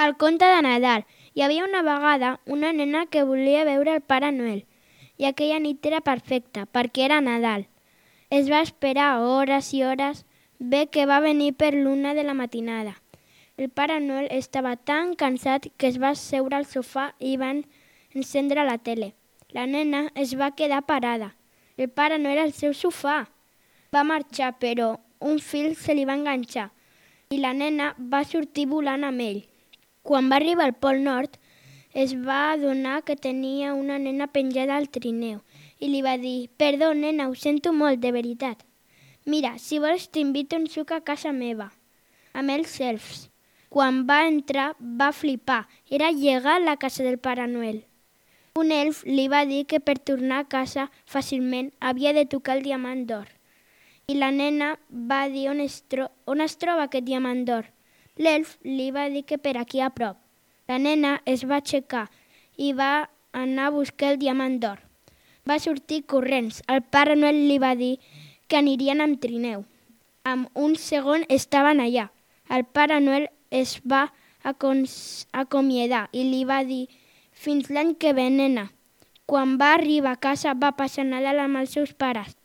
El conte de Nadal. Hi havia una vegada una nena que volia veure el Pare Noel i aquella nit era perfecta perquè era Nadal. Es va esperar hores i hores, bé que va venir per l'1 de la matinada. El Pare Noel estava tan cansat que es va asseure al sofà i va encendre la tele. La nena es va quedar parada. El Pare Noel al seu sofà. Va marxar, però un fil se li va enganxar i la nena va sortir volant amb ell. Quan va arribar al Pol Nord, es va adonar que tenia una nena penjada al trineu i li va dir: «Perdó, nena, ho sento molt, de veritat. Mira, si vols t'invito un suc a casa meva, amb els elfs». Quan va entrar, va flipar. Era llegar a la casa del Pare Noel. Un elf li va dir que per tornar a casa fàcilment havia de tocar el diamant d'or. I la nena va dir on es troba aquest diamant d'or. L'elf li va dir que per aquí a prop. La nena es va aixecar i va anar a buscar el diamant d'or. Va sortir corrents. El Pare Noel li va dir que anirien amb trineu. En un segon estaven allà. El Pare Noel es va acomiadar i li va dir: «Fins l'any que ve, nena». Quan va arribar a casa va passar Nadal amb els seus pares.